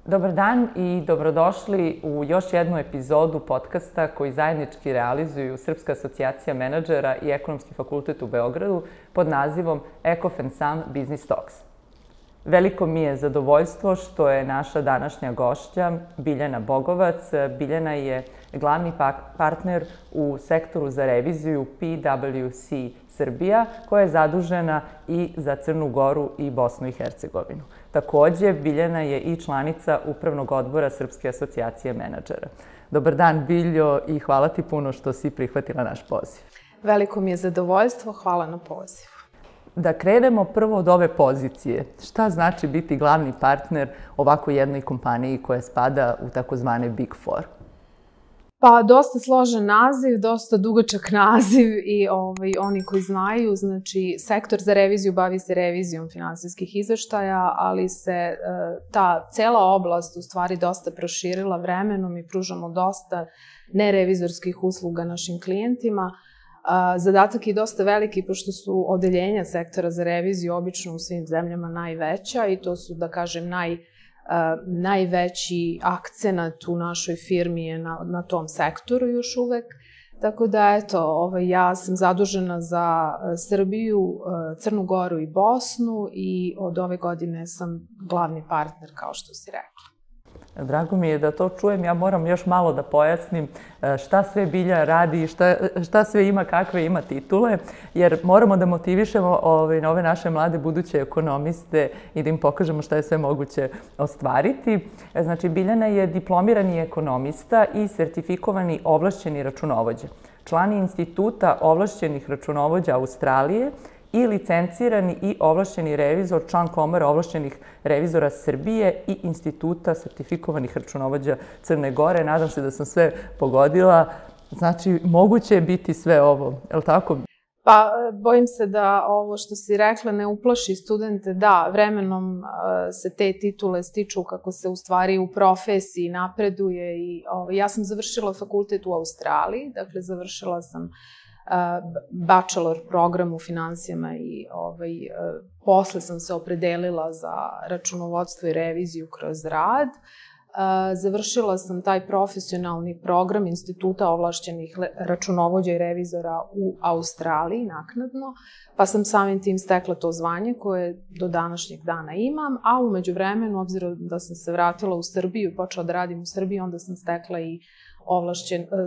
Dobar dan i dobrodošli u još jednu epizodu podcasta koji zajednički realizuju Srpska asocijacija menadžera i Ekonomski fakultet u Beogradu pod nazivom ECOFEN-SAM Business Talks. Veliko mi je zadovoljstvo što je naša današnja gošća Biljana Bogovac. Biljana je glavni partner u sektoru za reviziju PwC Srbija, koja je zadužena i za Crnu Goru i Bosnu i Hercegovinu. Takođe, Biljana je i članica Upravnog odbora Srpske asocijacije menadžera. Dobar dan, Biljo, i hvala ti puno što si prihvatila naš poziv. Veliko mi je zadovoljstvo, hvala na pozivu. Da krenemo prvo od ove pozicije. Šta znači biti glavni partner ovako jednoj kompaniji koja spada u takozvane Big Four? Pa, dosta složen naziv, dosta dugačak naziv i oni koji znaju, znači, sektor za reviziju bavi se revizijom finansijskih izveštaja, ali se ta cela oblast u stvari dosta proširila vremenom i pružamo dosta nerevizorskih usluga našim klijentima. Zadatak je dosta veliki, pošto su odeljenja sektora za reviziju obično u svim zemljama najveća i to su, da kažem, najveći akcenat u našoj firmi je na tom sektoru još uvek. Tako da, eto, ja sam zadužena za Srbiju, Crnu Goru i Bosnu i od ove godine sam glavni partner, kao što si rekla. Drago mi je da to čujem. Ja moram još malo da pojasnim šta sve Bilja radi i šta sve ima, kakve ima titule, jer moramo da motivišemo na ove naše mlade buduće ekonomiste i da im pokažemo šta je sve moguće ostvariti. Znači, Biljana je diplomirani ekonomista i sertifikovani ovlašćeni računovođa. Član je Instituta ovlašćenih računovođa Australije i licencirani i ovlašćeni revizor, član Komore ovlašćenih revizora Srbije i Instituta sertifikovanih računovođa Crne Gore. Nadam se da sam sve pogodila. Znači, moguće je biti sve ovo, je li tako? Pa, bojim se da ovo što si rekla ne uplaši studente. Da, vremenom se te titule stiču kako se u stvari u profesiji napreduje. Ja sam završila fakultet u Australiji, dakle završila sam bachelor program u finansijama i posle sam se opredelila za računovodstvo i reviziju kroz rad. Završila sam taj profesionalni program Instituta ovlašćenih računovođa i revizora u Australiji naknadno, pa sam samim tim stekla to zvanje koje do današnjeg dana imam, a u međuvremenu, obzirom da sam se vratila u Srbiju i počela da radim u Srbiji, onda sam stekla i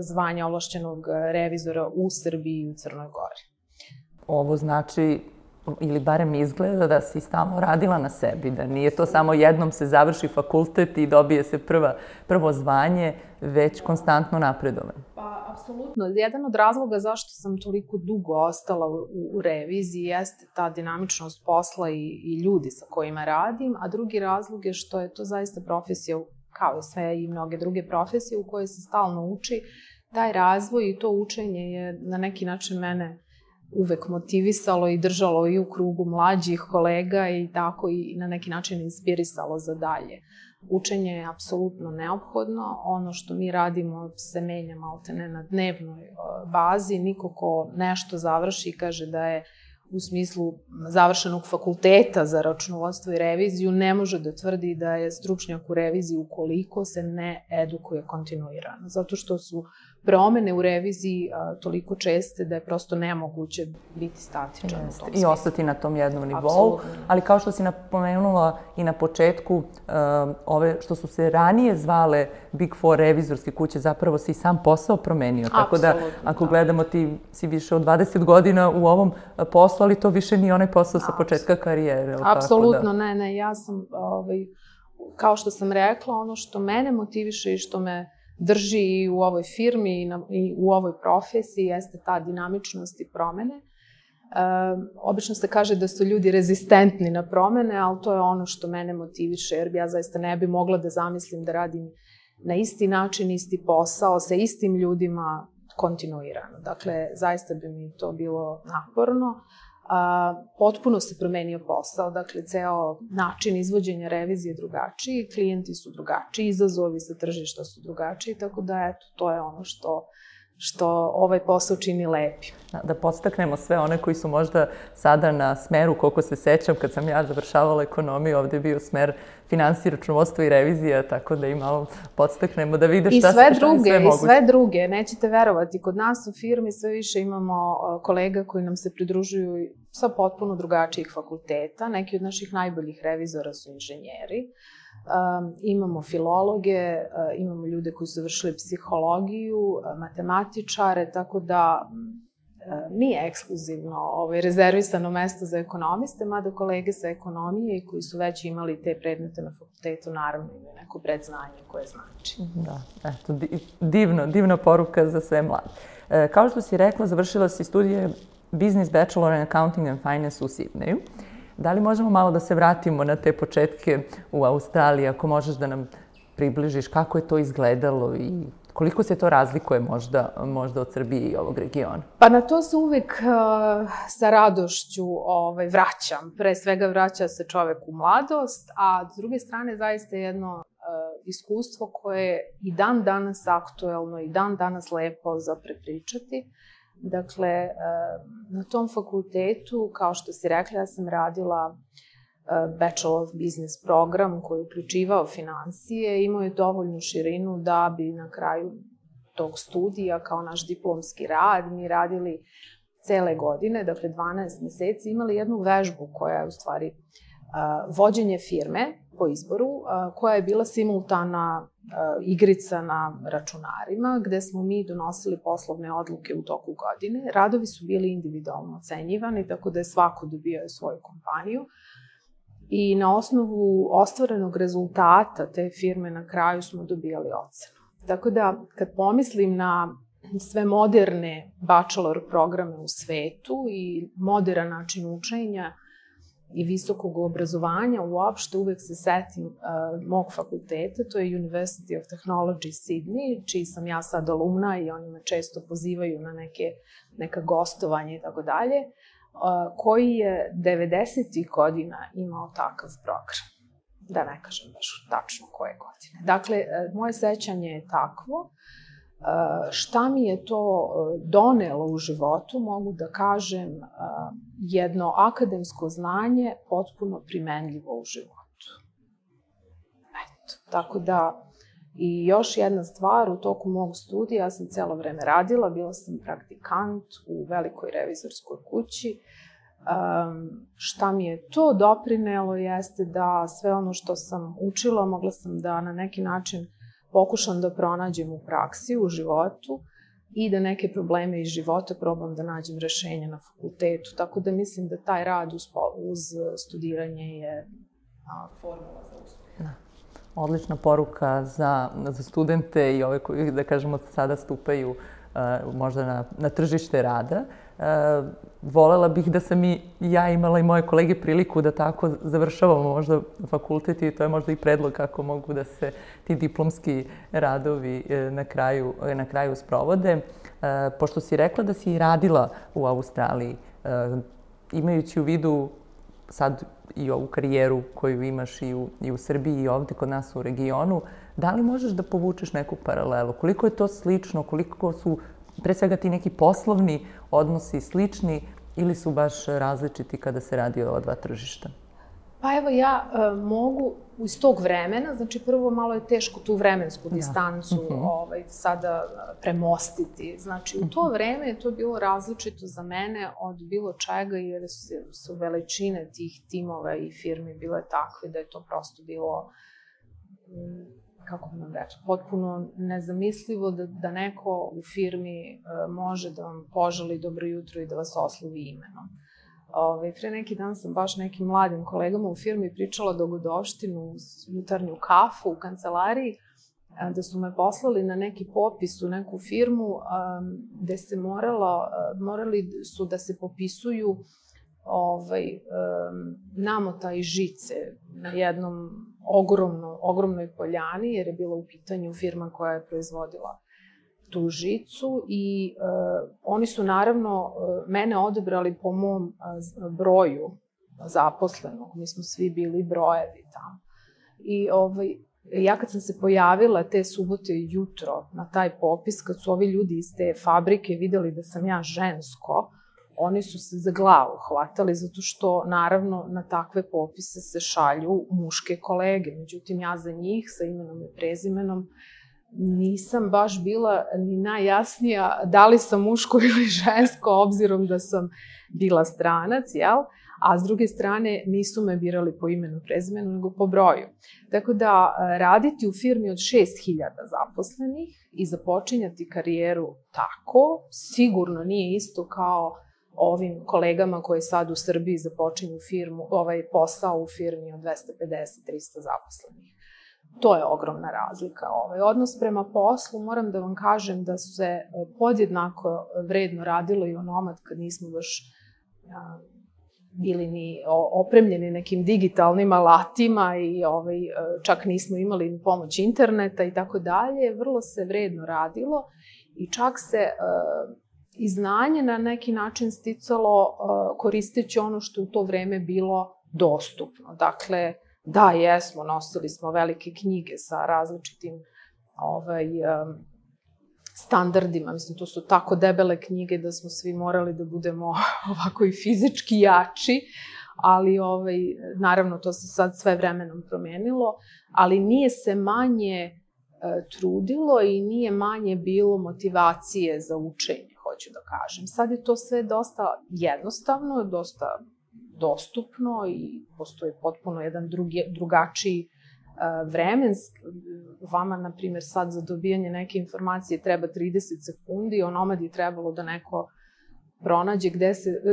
zvanje ovlašćenog revizora u Srbiji i u Crnoj Gori. Ovo znači, ili barem izgleda da si stalno radila na sebi, da nije to samo jednom se završi fakultet i dobije se prvo zvanje, već konstantno napredovanje. Pa, apsolutno. Jedan od razloga zašto sam toliko dugo ostala u reviziji jeste ta dinamičnost posla i ljudi sa kojima radim, a drugi razlog je što je to zaista profesija kao i sve i mnoge druge profesije u kojoj se stalno uči. Taj razvoj i to učenje je na neki način mene uvek motivisalo i držalo i u krugu mlađih kolega i tako i na neki način inspirisalo za dalje. Učenje je apsolutno neophodno. Ono što mi radimo se menja maltene na dnevnoj bazi. Niko ko nešto završi i kaže da je u smislu završenog fakulteta za računovodstvo i reviziju ne može da tvrdi da je stručnjak u reviziji ukoliko se ne edukuje kontinuirano. Zato što su promene u reviziji toliko česte da je prosto nemoguće biti statičan u tom smislu. I ostati na tom jednom nivou. Ali kao što si napomenula i na početku, ove što su se ranije zvale Big Four revizorske kuće, zapravo si sam posao promenio. Tako da, ako gledamo, ti si više od 20 godina u ovom poslu, ali to više nije onaj posao sa početka karijere. Apsolutno, ne. Ja sam, kao što sam rekla, ono što mene motiviše i što me drži i u ovoj firmi i u ovoj profesiji jeste ta dinamičnost i promene. Obično se kaže da su ljudi rezistentni na promene, ali to je ono što mene motiviše, jer ja zaista ne bi mogla da zamislim da radim na isti način, isti posao, sa istim ljudima kontinuirano. Dakle, zaista bi mi to bilo naporno. Potpuno se promenio posao, dakle, ceo način izvođenja revizije je drugačiji, klijenti su drugačiji, izazovi sa tržišta su drugačiji, tako da, eto, to je ono što ovaj posao čini lepim. Da podstaknemo sve one koji su možda sada na smeru, koliko se sećam, kad sam ja završavala ekonomiju, ovde je bio smer finansije, računovodstvo i revizija, tako da i malo podstaknemo da vide šta je sve moguće. I sve druge, nećete verovati, kod nas u firmi sve više imamo kolega koji nam se pridružuju sa potpuno drugačijih fakulteta. Neki od naših najboljih revizora su inženjeri. Imamo filologe, imamo ljude koji su završili psihologiju, matematičare, tako da nije ekskluzivno rezervisano mesto za ekonomiste, mada kolege sa ekonomije koji su već imali te predmete na fakultetu, naravno imaju neko predznanje koje znači. Da, eto, divna poruka za sve mlade. Kao što si rekla, završila si studije Business Bachelor in Accounting and Finance u Sidneju. Da li možemo malo da se vratimo na te početke u Australiji, ako možeš da nam približiš kako je to izgledalo i koliko se to razlikuje možda od Srbije i ovog regiona? Pa na to se uvek sa radošću vraćam. Pre svega vraća se čovek u mladost, a s druge strane zaista jedno iskustvo koje je i dan danas aktuelno i dan danas lepo za prepričati. Dakle, na tom fakultetu, kao što si rekla, ja sam radila Bachelor of Business program koji je uključivao finansije, imao je dovoljnu širinu da bi na kraju tog studija, kao naš diplomski rad, mi radili cele godine, dakle 12 meseci, imali jednu vežbu koja je u stvari vođenje firme po izboru, koja je bila simultana igrica na računarima, gde smo mi donosili poslovne odluke u toku godine. Radovi su bili individualno ocenjivani, tako da je svako dobio svoju kompaniju. I na osnovu ostvarenog rezultata te firme na kraju smo dobijali ocenu. Tako da, kad pomislim na sve moderne bachelor programe u svetu i modern način učenja i visokog obrazovanja, uopšte uvek se setim mog fakulteta, to je University of Technology Sydney, čiji sam ja sad alumna i oni me često pozivaju na neka gostovanja i tako dalje, koji je 90. godina imao takav program. Da ne kažem baš tačno koje godine. Dakle, moje sećanje je takvo. Šta mi je to donelo u životu, mogu da kažem, jedno akademsko znanje potpuno primenljivo u životu. Eto, tako da, i još jedna stvar, u toku mog studija, ja sam celo vreme radila, bila sam praktikant u velikoj revizorskoj kući. Šta mi je to doprinelo jeste da sve ono što sam učila, mogla sam da na neki način pokušam da pronađem u praksi, u životu i da neke probleme iz života probam da nađem rešenje na fakultetu. Tako da mislim da taj rad uz studiranje je formula za uspjeh. Odlična poruka za studente i ove koji, da kažemo, sada stupaju možda na tržište rada. Volela bih da sam i ja imala i moje kolege priliku da tako završavamo možda fakultet i to je možda i predlog kako mogu da se ti diplomski radovi na kraju sprovode. Pošto si rekla da si radila u Australiji, imajući u vidu sad i ovu karijeru koju imaš i u Srbiji i ovde kod nas u regionu, da li možeš da povučeš neku paralelu? Koliko je to slično, koliko su pre svega ti neki poslovni odnosi slični ili su baš različiti kada se radi o ova dva tržišta? Pa evo, ja mogu iz tog vremena, znači prvo malo je teško tu vremensku distancu sada premostiti. Znači u to vreme je to bilo različito za mene od bilo čega jer su veličine tih timova i firmi bile takve da je to prosto bilo, kako bi vam rekla, potpuno nezamislivo da neko u firmi može da vam poželi dobro jutro i da vas oslovi imenom. Pre neki dan sam baš nekim mladim kolegama u firmi pričala dogodovštinu, jutarnju kafu u kancelariji, da su me poslali na neki popis u neku firmu gde se morali su da se popisuju namota i žice na jednom ogromnoj poljani, jer je bila u pitanju firma koja je proizvodila tu žicu i oni su naravno mene odebrali po mom broju zaposlenog. Mi smo svi bili brojevi tamo. I Ja kad sam se pojavila te subote jutro na taj popis, kad su ovi ljudi iz te fabrike videli da sam ja žensko, oni su se za glavu hvatali, zato što, naravno, na takve popise se šalju muške kolege. Međutim, ja za njih, sa imenom i prezimenom, nisam baš bila ni najjasnija da li sam muško ili žensko, obzirom da sam bila stranac, jel? A s druge strane nisu me birali po imenu, prezimenu, nego po broju. Tako da raditi u firmi od 6.000 zaposlenih i započinjati karijeru tako, sigurno nije isto kao ovim kolegama koji sad u Srbiji započinju posao u firmi od 250-300 zaposlenih. To je ogromna razlika. Odnos prema poslu, moram da vam kažem da se podjednako vredno radilo i onomad kad nismo baš bili ni opremljeni nekim digitalnim alatima i čak nismo imali ni pomoć interneta i tako dalje. Vrlo se vredno radilo i čak se i znanje na neki način sticalo koristeći ono što u to vreme bilo dostupno. Dakle, da, jesmo, nosili smo velike knjige sa različitim standardima. Mislim, to su tako debele knjige da smo svi morali da budemo ovako i fizički jači, ali naravno to se sad sve vremenom promenilo, ali nije se manje trudilo i nije manje bilo motivacije za učenje, hoću da kažem. Sad je to sve dosta jednostavno, dosta dostupno i postoji potpuno jedan drugačiji vremenski. Vama, na primjer, sad za dobijanje neke informacije treba 30 sekundi, onomad je trebalo da neko pronađe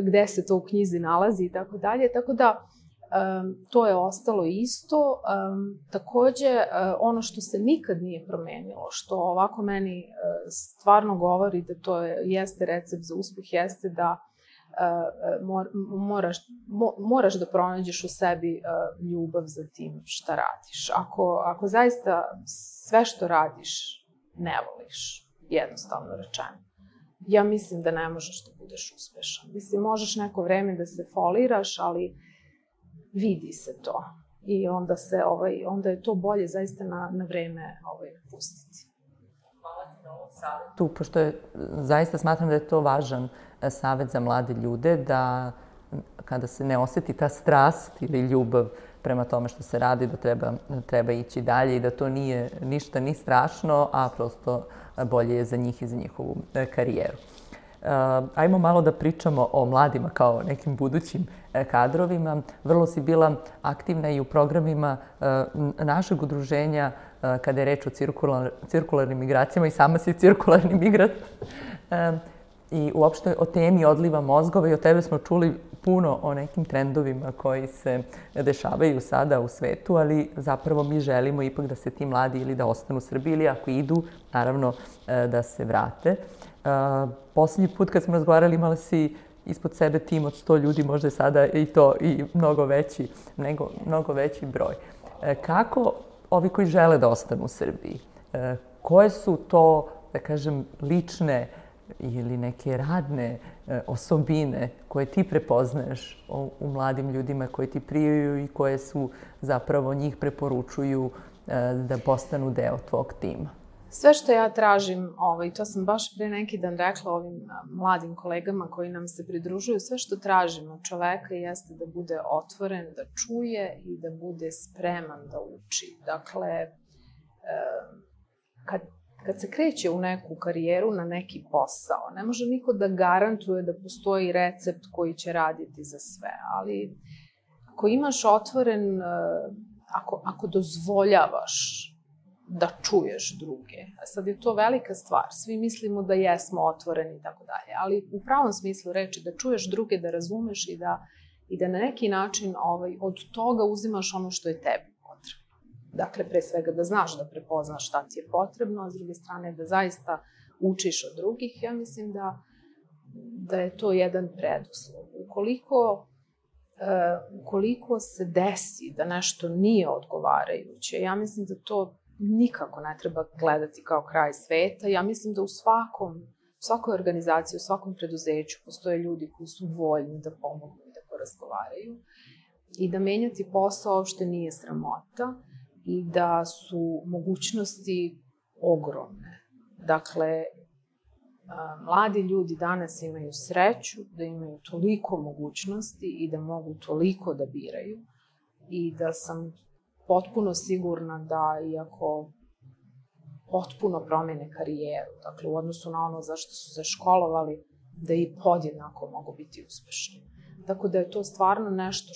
gde se to u knjizi nalazi i tako dalje. Tako da, to je ostalo isto. Takođe, ono što se nikad nije promenilo, što ovako meni stvarno govori da to jeste recept za uspeh, jeste da moraš da pronađeš u sebi ljubav za tim šta radiš. Ako zaista sve što radiš ne voliš, jednostavno rečeno, ja mislim da ne možeš da budeš uspešan. Mislim, možeš neko vreme da se foliraš, ali vidi se to. I onda je to bolje zaista na vreme pustiti. Hvala ti na ovom savjetu, pošto zaista smatram da je to važan savjet za mlade ljude, da kada se ne osjeti ta strast ili ljubav prema tome što se radi, da treba ići dalje i da to nije ništa ni strašno, a prosto bolje je za njih i za njihovu karijeru. Ajmo malo da pričamo o mladima kao nekim budućim kadrovima. Vrlo si bila aktivna i u programima našeg udruženja kada je reč o cirkularnim migracijama i sama si cirkularni migrat. I uopšte o temi odliva mozgova i o tebe smo čuli puno o nekim trendovima koji se dešavaju sada u svetu, ali zapravo mi želimo ipak da se ti mladi ili da ostanu u Srbiji ili ako idu, naravno da se vrate. Poslednji put kad smo razgovarali imala si ispod sebe tim od 100 ljudi, možda je sada i to i mnogo veći broj. Kako ovi koji žele da ostanu u Srbiji, koje su to, da kažem, lične ili neke radne osobine koje ti prepoznaješ u mladim ljudima koji ti prijaju i koje su zapravo njih preporučuju da postanu deo tvog tima? Sve što ja tražim, to sam baš pre neki dan rekla ovim mladim kolegama koji nam se pridružuju, sve što tražim od čoveka jeste da bude otvoren, da čuje i da bude spreman da uči. Dakle, kad se kreće u neku karijeru, na neki posao, ne može niko da garantuje da postoji recept koji će raditi za sve, ali ako imaš otvoren, ako dozvoljavaš da čuješ druge, a sad je to velika stvar, svi mislimo da jesmo otvoreni i tako dalje, ali u pravom smislu reči da čuješ druge, da razumeš i da na neki način od toga uzimaš ono što je tebi. Dakle, pre svega da znaš da prepoznaš šta ti je potrebno, a s druge strane da zaista učiš od drugih, ja mislim da je to jedan preduslov. Ukoliko se desi da nešto nije odgovarajuće, ja mislim da to nikako ne treba gledati kao kraj sveta. Ja mislim da u svakoj organizaciji, u svakom preduzeću postoje ljudi koji su voljni da pomognu i da porazgovaraju i da menjati posao uopšte nije sramota. i da su mogućnosti ogromne. Dakle, mladi ljudi danas imaju sreću da imaju toliko mogućnosti i da mogu toliko da biraju i da sam potpuno sigurna da iako potpuno promene karijeru, dakle u odnosu na ono za što su se školovali, da i podjednako mogu biti uspešni. Tako da je to stvarno nešto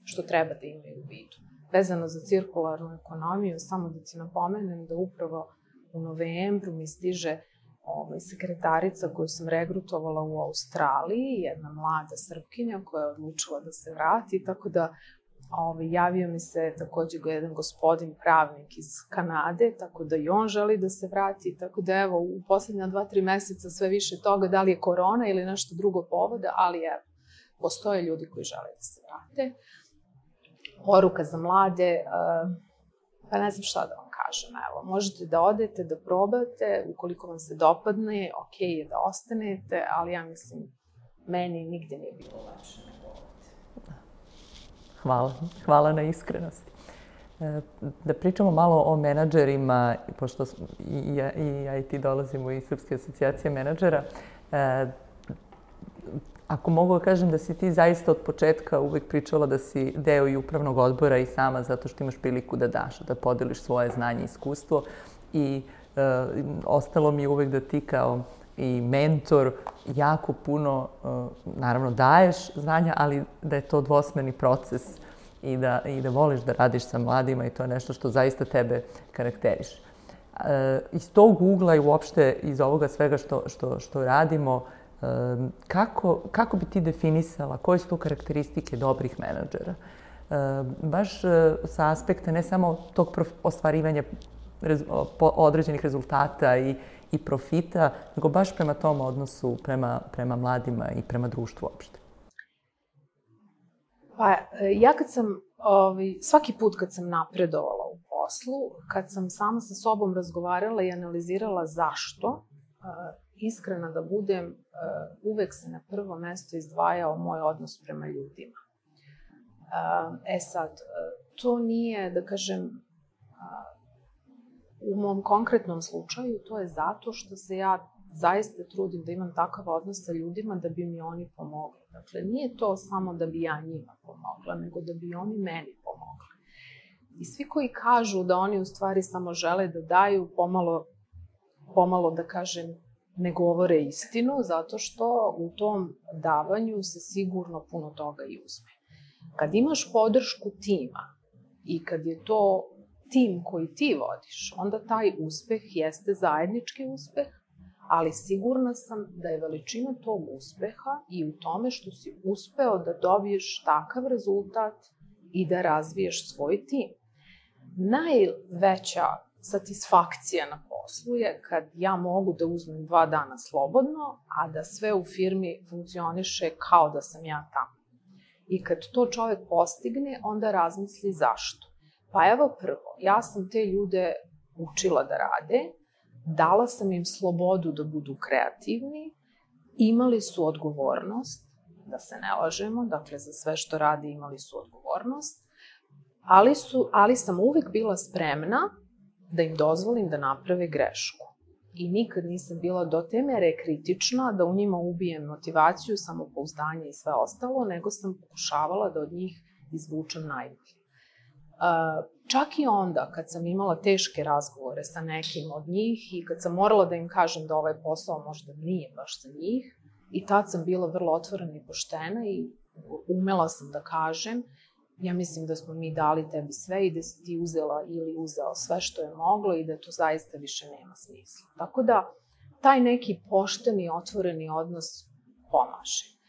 što treba da imaju u vidu. Vezano za cirkularnu ekonomiju, samo da ti napomenem da upravo u novembru mi stiže sekretarica koju sam regrutovala u Australiji, jedna mlada Srpkinja koja je odlučila da se vrati, tako da javio mi se takođe jedan gospodin pravnik iz Kanade, tako da i on želi da se vrati, tako da evo u poslednja 2-3 meseca sve više toga, da li je korona ili nešto drugo povoda, ali evo, postoje ljudi koji žele da se vrate. Poruka za mlade, pa ne znam šta da vam kažem, evo, možete da odete, da probate, ukoliko vam se dopadne, okej je da ostanete, ali ja mislim, meni nigde nije bilo lepše nego ovde. Hvala na iskrenosti. Da pričamo malo o menadžerima, pošto i ja i ti dolazimo iz Srpske asocijacije menadžera. Ako mogu da kažem da si ti zaista od početka uvek pričala da si deo i upravnog odbora i sama zato što imaš priliku da daš, da podeliš svoje znanje i iskustvo i ostalo mi je uvek da ti kao i mentor jako puno, naravno, daješ znanja, ali da je to dvosmerni proces i da voliš da radiš sa mladima i to je nešto što zaista tebe karakteriše. Iz tog ugla i uopšte iz ovoga svega što radimo, kako bi ti definisala koje su to karakteristike dobrih menadžera? Baš sa aspekta ne samo tog ostvarivanja određenih rezultata i profita, nego baš prema tom odnosu, prema mladima i prema društvu uopšte. Pa ja svaki put kad sam napredovala u poslu, kad sam sama sa sobom razgovarala i analizirala zašto, iskrena da budem, uvek se na prvo mesto izdvajao moj odnos prema ljudima. Sad, to nije, da kažem, u mom konkretnom slučaju, to je zato što se ja zaista trudim da imam takav odnos sa ljudima da bi mi oni pomogli. Dakle, nije to samo da bi ja njima pomogla, nego da bi oni meni pomogli. I svi koji kažu da oni u stvari samo žele da daju, pomalo da kažem, ne govore istinu, zato što u tom davanju se sigurno puno toga i uzme. Kad imaš podršku tima i kad je to tim koji ti vodiš, onda taj uspeh jeste zajednički uspeh, ali sigurna sam da je veličina tog uspeha i u tome što si uspeo da dobiješ takav rezultat i da razviješ svoj tim. Najveća satisfakcija na poslu je kad ja mogu da uzmem 2 dana slobodno, a da sve u firmi funkcioniše kao da sam ja tamo. I kad to čovek postigne, onda razmisli zašto. Pa evo prvo, ja sam te ljude učila da rade, dala sam im slobodu da budu kreativni, imali su odgovornost, da se ne lažemo, dakle za sve što rade imali su odgovornost, ali sam uvek bila spremna da im dozvolim da naprave grešku. I nikad nisam bila do te mere kritična da u njima ubijem motivaciju, samopouzdanje i sve ostalo, nego sam pokušavala da od njih izvučem najbolje. Čak i onda kad sam imala teške razgovore sa nekim od njih i kad sam morala da im kažem da ovaj posao možda nije baš za njih, i tad sam bila vrlo otvorena i poštena i umela sam da kažem, ja mislim da smo mi dali tebi sve i da si ti uzela ili uzeo sve što je moglo i da to zaista više nema smisla. Tako da, taj neki pošteni, otvoreni odnos pomaže.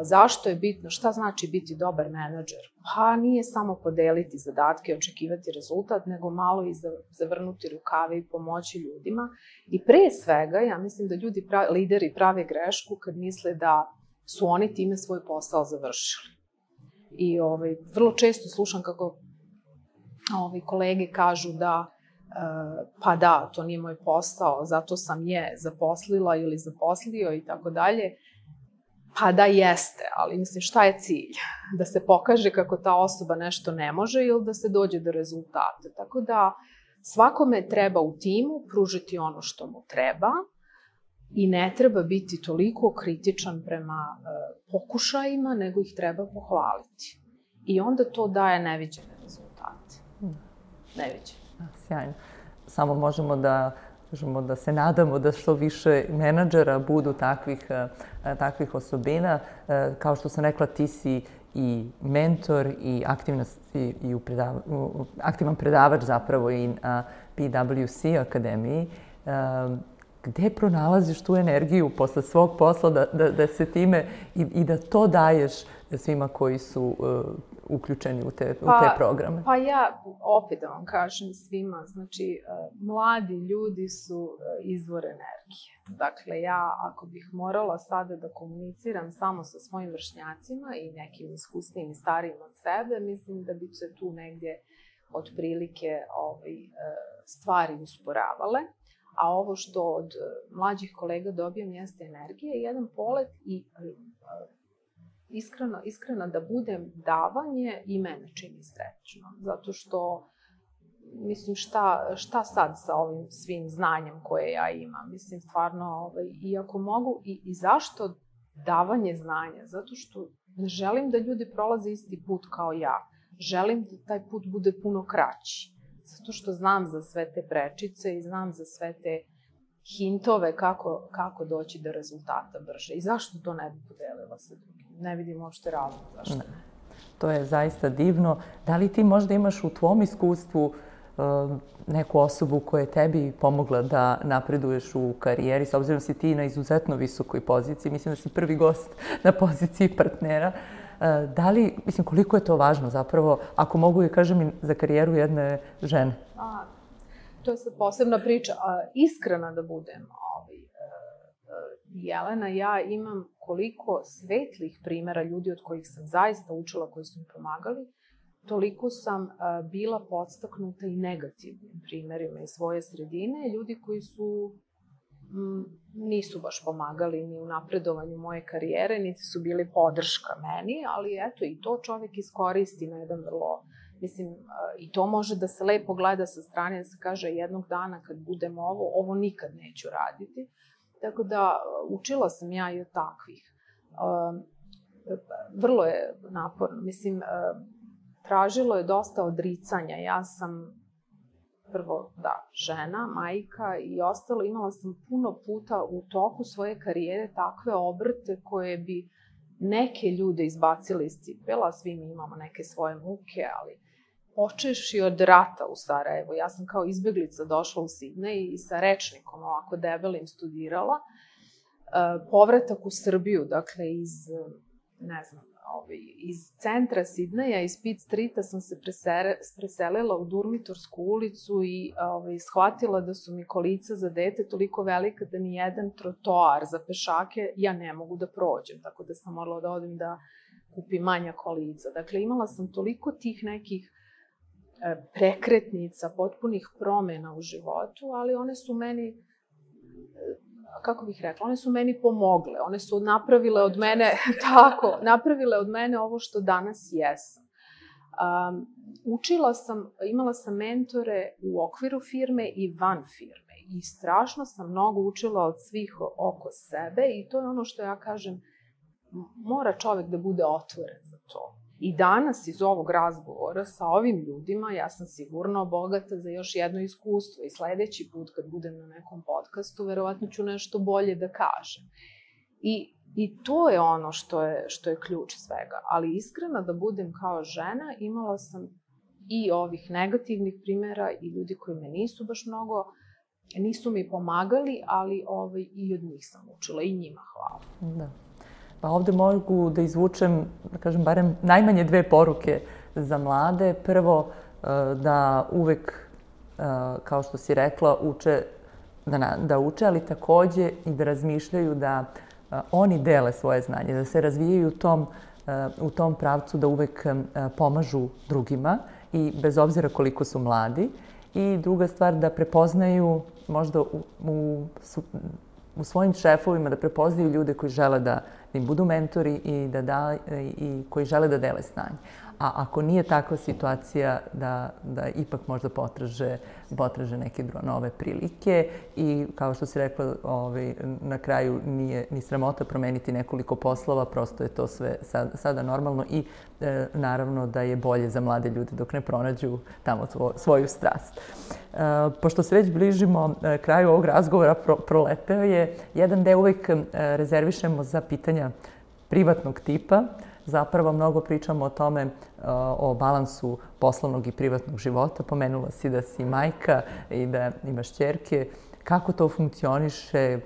Zašto je bitno? Šta znači biti dobar menadžer? Pa nije samo podeliti zadatke i očekivati rezultat, nego malo i zavrnuti rukave i pomoći ljudima. I pre svega, ja mislim da lideri prave grešku kad misle da su oni time svoj posao završili. I vrlo često slušam kako kolege kažu da pa da, to nije moj posao, zato sam je zaposlila ili zaposlio i tako dalje. Pa da jeste, ali mislim šta je cilj? Da se pokaže kako ta osoba nešto ne može ili da se dođe do rezultata. Tako da svakome treba u timu pružiti ono što mu treba i ne treba biti toliko kritičan prema pokušajima, nego ih treba pohvaliti. I onda to daje neviđene rezultate. Neviđene. Sjajno. Samo možemo da se nadamo da što više menadžera budu takvih osobina. Kao što sam rekla, ti si i mentor i aktivan predavač zapravo i na PwC akademiji. Gde pronalaziš tu energiju posle svog posla da se time i da to daješ svima koji su uključeni u te programe? Pa ja, opet da vam kažem svima, znači, mladi ljudi su izvor energije. Dakle, ja ako bih morala sada da komuniciram samo sa svojim vršnjacima i nekim iskusnijim i starijim od sebe, mislim da bi se tu negdje otprilike stvari usporavale. A ovo što od mlađih kolega dobijam jeste energija, jedan polet i iskreno da budem davanje i mene čini srećno. Zato što, mislim, šta sad sa ovim svim znanjem koje ja imam? Mislim, stvarno, iako mogu, i zašto davanje znanja? Zato što ne želim da ljudi prolaze isti put kao ja. Želim da taj put bude puno kraći. Zato što znam za sve te prečice i znam za sve te hintove kako doći do rezultata brže. I zašto to ne bi podelila sa drugim? Ne vidim uopšte razlog zašto. To je zaista divno. Da li ti možda imaš u tvom iskustvu neku osobu koja je tebi pomogla da napreduješ u karijeri, s obzirom si ti na izuzetno visokoj poziciji, mislim da si prvi gost na poziciji partnera. Da li, mislim, koliko je to važno zapravo, ako mogu i kažem i za karijeru jedne žene? To je sad posebna priča. Iskrena da budem, Jelena, ja imam koliko svetlih primjera ljudi od kojih sam zaista učila, koji su mi pomagali, toliko sam bila podstaknuta i negativnim primjerima iz svoje sredine, ljudi koji nisu baš pomagali ni u napredovanju moje karijere, niti su bili podrška meni, ali eto, i to čovjek iskoristi na jedan vrlo, mislim, i to može da se lepo gleda sa strane, da se kaže jednog dana kad budem ovo nikad neću raditi. Tako da, učila sam ja i od takvih. Vrlo je naporno, mislim, tražilo je dosta odricanja. Ja sam prvo, žena, majka i ostalo. Imala sam puno puta u toku svoje karijere takve obrte koje bi neke ljude izbacili iz cipela. Svi mi imamo neke svoje muke, ali počevši od rata u Sarajevu. Ja sam kao izbeglica došla u Sidnej i sa rečnikom ovako debelim studirala. Povratak u Srbiju, dakle iz centra Sidneja, iz Pitt Streeta sam se preselila u Durmitorsku ulicu i shvatila da su mi kolica za dete toliko velika da ni jedan trotoar za pešake ja ne mogu da prođem, tako da sam morala da odim da kupim manja kolica. Dakle, imala sam toliko tih nekih prekretnica, potpunih promjena u životu, ali one su meni, kako bih rekla, one su meni pomogle. One su napravile od mene, napravile od mene ovo što danas jesam. Učila sam, imala sam mentore u okviru firme i van firme i strašno sam mnogo učila od svih oko sebe i to je ono što ja kažem, mora čovjek da bude otvoren za to. I danas iz ovog razgovora sa ovim ljudima ja sam sigurno bogata za još jedno iskustvo i sledeći put kad budem na nekom podcastu verovatno ću nešto bolje da kažem. I to je ono što je ključ svega. Ali iskreno da budem kao žena imala sam i ovih negativnih primjera i ljudi koji me nisu baš mnogo, nisu mi pomagali, ali i od njih sam učila i njima hvala. Da. Pa ovde mogu da izvučem, da kažem, barem najmanje 2 poruke za mlade. Prvo, da uvek, kao što si rekla, da uče, ali takođe i da razmišljaju da oni dele svoje znanje, da se razvijaju u tom pravcu, da uvek pomažu drugima i bez obzira koliko su mladi. I druga stvar, da prepoznaju možda u svojim šefovima, da prepoznaju ljude koji žele da im budu mentori i koji žele da dele znanje. A ako nije takva situacija, da ipak možda potraže neke nove prilike i kao što si rekla, na kraju nije ni sramota promeniti nekoliko poslova, prosto je to sve sada normalno i naravno da je bolje za mlade ljude dok ne pronađu tamo svoju strast. Pošto se već bližimo kraju ovog razgovora, proleteo je jedan deo uvek rezervišemo za pitanja privatnog tipa. Zapravo mnogo pričamo o tome, o balansu poslovnog i privatnog života. Pomenula si da si majka i da imaš ćerke. Kako to funkcioniše?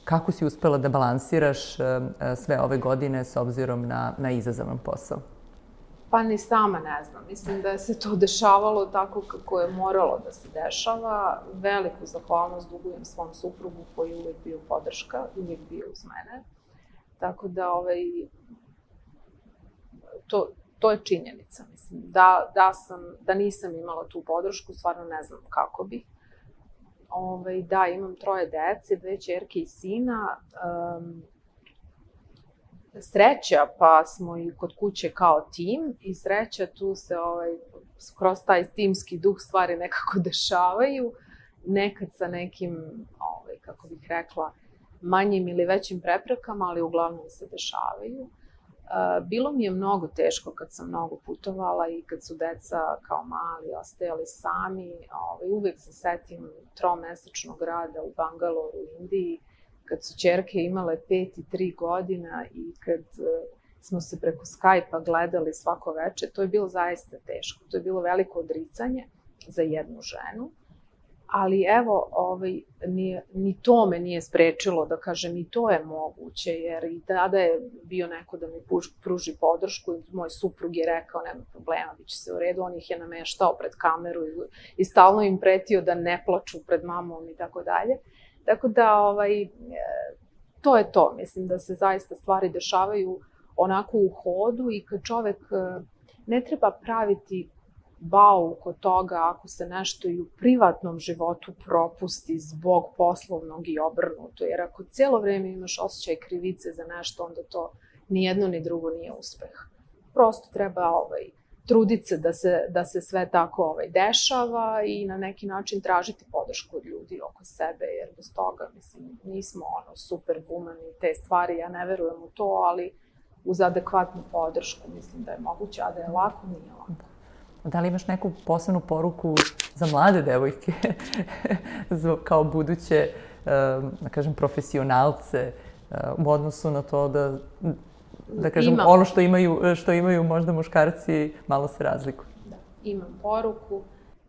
Kako si uspela da balansiraš sve ove godine s obzirom na izazovan posao? Pa ni sama ne znam. Mislim da se to dešavalo tako kako je moralo da se dešava. Veliku zahvalnost dugujem svom suprugu koji je uvijek bio podrška, uvijek bio uz mene. Tako da to je činjenica. Mislim, da nisam imala tu podršku, stvarno ne znam kako bih. Da, imam 3 dece, 2 ćerke i sina. Sreća, pa smo i kod kuće kao tim i sreća, tu se kroz taj timski duh stvari nekako dešavaju. Nekad sa nekim, kako bih rekla, manjim ili većim preprekama, ali uglavnom se dešavaju. Bilo mi je mnogo teško kad sam mnogo putovala i kad su deca kao mali ostajali sami. Uvijek se setim 3-mesečnog rada u Bangaloru u Indiji, kad su ćerke imale 5 i 3 godina i kad smo se preko Skype-a gledali svako večer. To je bilo zaista teško. To je bilo veliko odricanje za jednu ženu. Ali evo, ni to me nije sprečilo da kažem i to je moguće, jer i tada je bio neko da mi pruži podršku i moj suprug je rekao nema problema, bit će se u redu, on ih je nameštao pred kameru i stalno im pretio da ne plaču pred mamom i tako dalje. Tako da, to je to, mislim da se zaista stvari dešavaju onako u hodu i kad čovek ne treba praviti bauk od toga ako se nešto i u privatnom životu propusti zbog poslovnog i obrnuto. Jer ako cijelo vrijeme imaš osjećaj krivice za nešto, onda to ni jedno ni drugo nije uspeh. Prosto treba truditi se da se sve tako dešava i na neki način tražiti podršku od ljudi oko sebe, jer bez toga, mislim, nismo superwoman i te stvari, ja ne verujem u to, ali uz adekvatnu podršku mislim da je moguće, a da je lako, nije lako. Da li imaš neku posebnu poruku za mlade devojke, kao buduće, da kažem, profesionalce u odnosu na to da kažem, ono što imaju možda muškarci, malo se razlikuje? Da, imam poruku.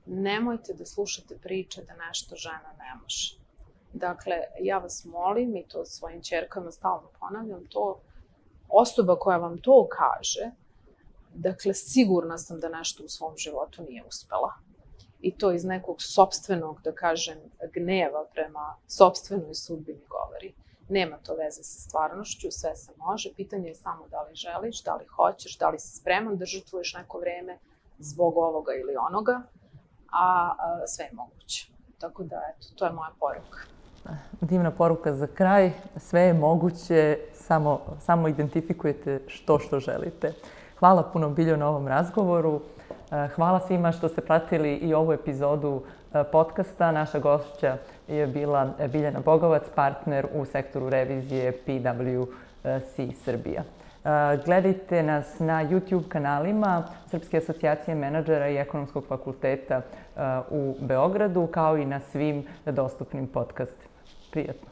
Nemojte da slušate priče da nešto žena ne može. Dakle, ja vas molim i to svojim ćerkama stalno ponavljam, to osoba koja vam to kaže, dakle, sigurna sam da nešto u svom životu nije uspela. I to iz nekog sopstvenog, da kažem, gneva prema sopstvenoj sudbini govori. Nema to veze sa stvarnošću, sve se može. Pitanje je samo da li želiš, da li hoćeš, da li si spreman da žrtvuješ neko vreme zbog ovoga ili onoga, a sve je moguće. Tako da, eto, to je moja poruka. Divna poruka za kraj. Sve je moguće, samo identifikujete što želite. Hvala puno, Biljo, na ovom razgovoru. Hvala svima što ste pratili i ovu epizodu podcasta. Naša gošća je bila Biljana Bogovac, partner u sektoru revizije PwC Srbija. Gledajte nas na YouTube kanalima Srpske asocijacije menadžera i Ekonomskog fakulteta u Beogradu, kao i na svim dostupnim podcastima. Prijatno!